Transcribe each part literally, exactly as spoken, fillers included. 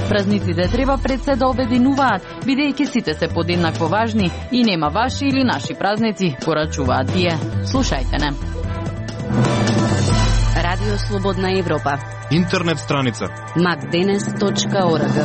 Празниците треба пред се да обединуваат, бидејќи сите се подеднакво важни и нема ваши или наши празници, порачуваат тие. Слушајте не. Радио Слободна Европа. Интернет страница макденес точка орг.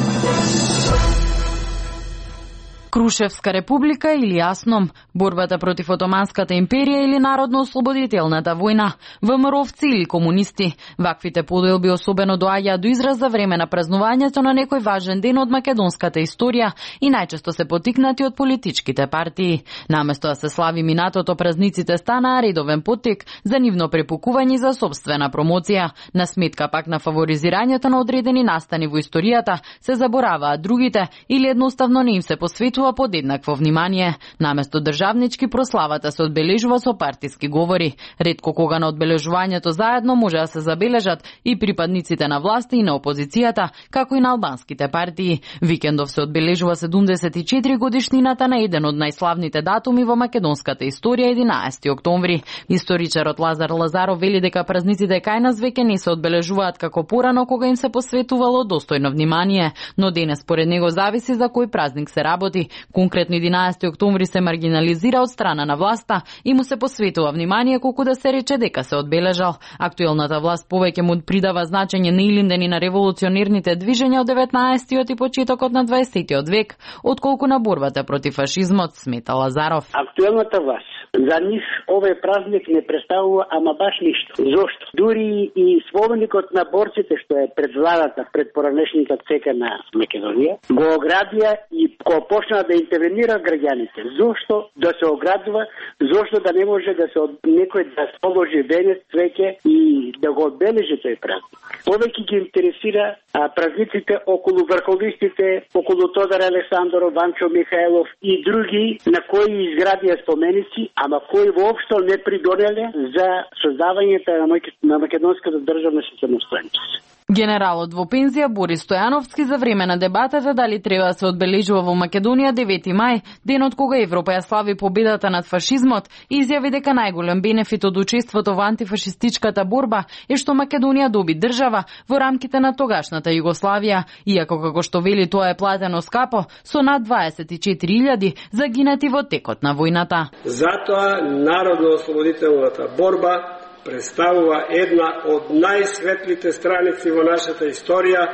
Крушевска република или јасном, борбата против Отоманската империја или Народно-ослободителната војна, ВМРО-вци или комунисти. Ваквите поделби особено доаѓаат до израз за време на празнувањето на некој важен ден од македонската историја и најчесто се потикнати од политичките партии. Наместо да се слави минатото, празниците станаа редовен поттик за нивно препукување за собствена промоција. На сметка пак на фаворизирањето на одредени настани во историјата, се забораваат другите или едноставно не им се посветува подеднакво внимание. Наместо државнички, прославата се одбележува со партиски говори. Ретко кога на одбележувањето заедно може да се забележат и припадниците на власта и на опозицијата, како и на албанските партии. Викендов се одбележува седумдесет и четири годишнината на еден од најславните датуми во македонската историја, единаесети октомври. Историчарот Лазар Лазаров вели дека празниците кај нас веќе не се одбележуваат како порано, кога им се посветувало достојно внимание, но денес според него зависи за кој празник се работи. Конкретно единаесети октомври се маргинализира од страна на власта и му се посветува внимание колку да се рече дека се одбележал. Актуелната власт повеќе му придава значење на илиндени на револуционерните движења од деветнаесеттиот и почетокот на дваесеттиот век, отколку на борбата против фашизмот, смета Лазаров. Актуелната власт за нив овој празник не представува ама баш ништо. Зошто? Дури и споменикот на борците што е пред владата, пред поранешната цека на Македонија, го оградија и го почна да интервенира граѓаните. Зошто да се оградува? Зошто да не може да се некој да положи венец, цвеќе и да го одбележи тој празник? Повеќе ги интересира а, празниците околу врховистите, околу Тодор Александров, Ванчо Михајлов и други на кои изградија споменици, ама кои воопшто не придонеле за создавањето на македонската државна самостојност. Генералот во пензија Борис Стојановски за време на дебатата дали треба да се одбележува во Македонија девети мај, денот кога Европа ја слави победата над фашизмот, изјави дека најголем бенефит од учеството во антифашистичката борба е што Македонија доби држава во рамките на тогашната Југославија, иако како што вели тоа е платено скапо со над дваесет и четири илјади загинати во текот на војната. Затоа Народно-ослободителната борба представува една од најсветлите страници во нашата историја,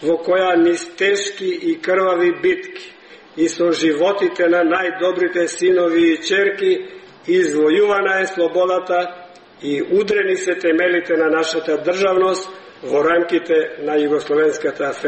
во која низ тешки и крвави битки и со животите на најдобрите синови и черки извојувана е слободата и удрени се темелите на нашата државност во рамките на Југословенската федерација.